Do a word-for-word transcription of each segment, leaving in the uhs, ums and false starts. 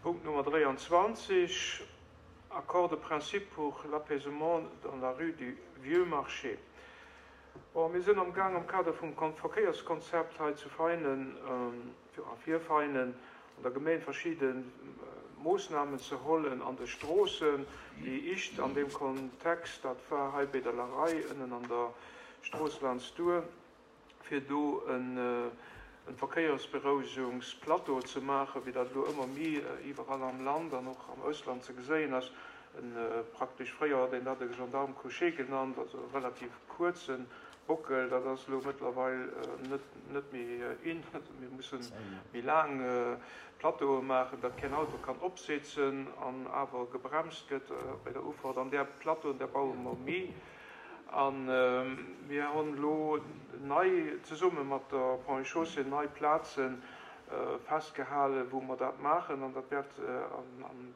Punkt Nummer dräianzwanzeg, Accord de principe pour l'apaisement dans la rue du Vieux Marché. Bon, mir sinn am Gaang am Kader vum Verkéierskonzept hei zu Veinen, a fir Veinen an der Gemeng verschidde Moossnamen ze hollen an de Stroossen. Déi ischt an deem Kontext, dat war hei bei der Larei ënnen an der Strooss laanscht duer, fir do en Verkéiersberouegungsplateau ze maachen, wéi dat elo ëmmer méi iwwerall am Land an och am Ausland ze geséien ass. En praktesch, fréier huet een dat e Gendarme couché genannt, also e relativ kuerze Bockel. Dat ass elo mëttlerweil net net méi in. Mir musse méi laang Plateaue maachen, datt keen Auto kann opsetzen an awer gebremst gëtt bei der Ufahrt. An där Plateauen, där baue mer méi. A mir hunn elo nei, zesumme mat der Ponts et Chaussées, nei Plaze festgehalen, wou mer dat maachen. An dat wäert am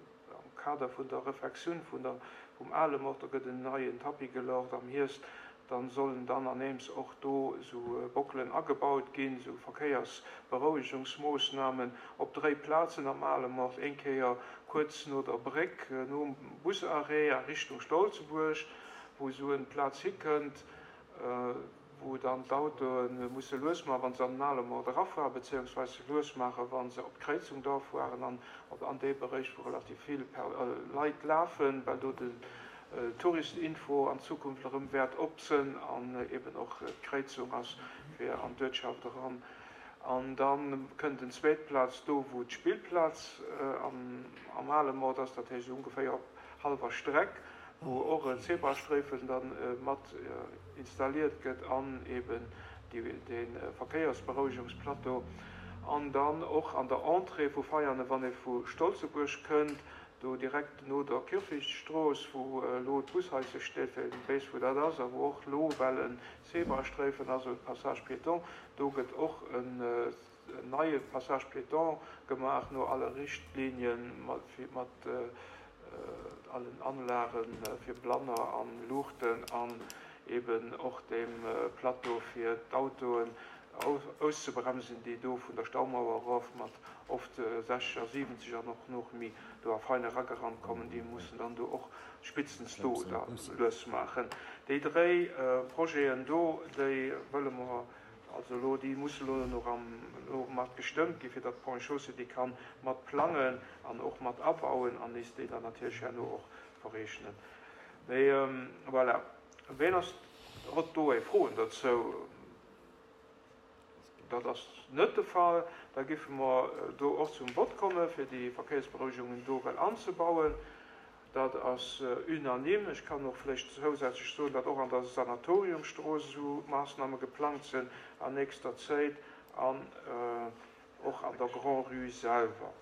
Kader vun der Refectioun vun der, vum ale Mord, do gëtt en neien Tapis geluecht am Hierscht, dann sollen dann aneems och do esou Bockelen agebaut ginn, esou Verkéiersberouegungsmoossnamen op dréi Plazen am ale Mord, eng Kéier kuerz no der Bréck, nom Busarrêt a Richtung Stolzebuerg, wou esou en Plaz hikënnt, wou dann d'Autoe musse lues maachen, wa se an den ale Mord erafueren, beziehungsweise lues maachen, wa se op d'Kréizung da fueren an an dee Beréich, wou relativ vill Leit lafen, well do den Touristinfo an Zukunft erëm wäert op sënn an eben och d'Kréizung ass fir an d'Uertschaft eran. An da kënnt en zweet Plaz do, wou d'Spillplaz am ale Mord ass, dat heescht ongeféier op hallwer Streck, wou och en Zebrasträifen dann mat installiert gëtt an eben dee Verkéiersberouegungsplateau. An dann och an der Entrée vu Veianen, wann ee vu Stolzebuerg kënnt, do direkt no der Kierfechtstrooss, wou elo d'Bushaise steet, fir een weess, wou dat ass, a wou och elo well en Zebrasträifen ass, e Passage piéton, do gëtt och en neie Passage piéton gemaach no alle Richtlinien, mat allen Anlage fir Blanner an Luuchten an eben och dem Plateau fir d'Autoen auszebremsen, déi do vun der Staumauer erof mat oft sechzeg a siwwenzeg an och nach méi do a Veine eragerannt kommen. Déi mussen dann do och spitstens do da lues maachen. Déi dréi Projeten do, déi wëlle mer also elo, déi musse elo nach am, elo mat gestëmmt ginn, fir datt d'Ponts et Chaussées déi kann mat plangen an och mat abauen an nees déi dann natierlech herno och verreechnen. Mee voilà, ween ass, hott do Froen dozou? Dat ass net de Fall. Da giffe mer do och zum Vott komme fir déi Verkéiersberouegungen do well anzebauen. Dat ass unanime. Ech kann och vläicht zousätzlech soen, datt och an der Sanatoriumstrooss esou Maassname geplangt sinn an nächster Zäit an och an der Grand-Rue selwer.